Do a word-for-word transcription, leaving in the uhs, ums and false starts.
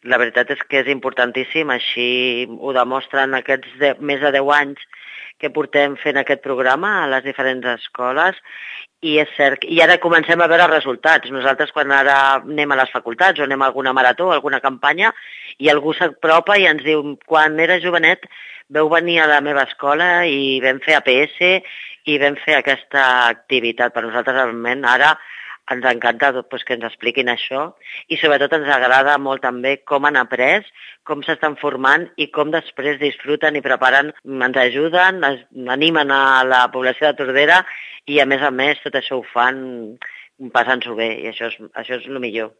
La veritat és que és importantíssim, així ho demostren aquests de, més de deu anys que portem fent aquest programa a les diferents escoles i és cert, i ara comencem a veure resultats. Nosaltres quan ara anem a les facultats o anem a alguna marató o alguna campanya i algú s'apropa i ens diu quan era jovenet veu venir a la meva escola i vam fer A P S i vam fer aquesta activitat. Per nosaltres realment ara ens encanta doncs, que ens expliquin això i sobretot ens agrada molt també com han après, com s'estan formant i com després disfruten i preparen, ens ajuden, animen a la població de Tordera i a més a més tot això ho fan passant-s'ho bé i això és, això és el millor.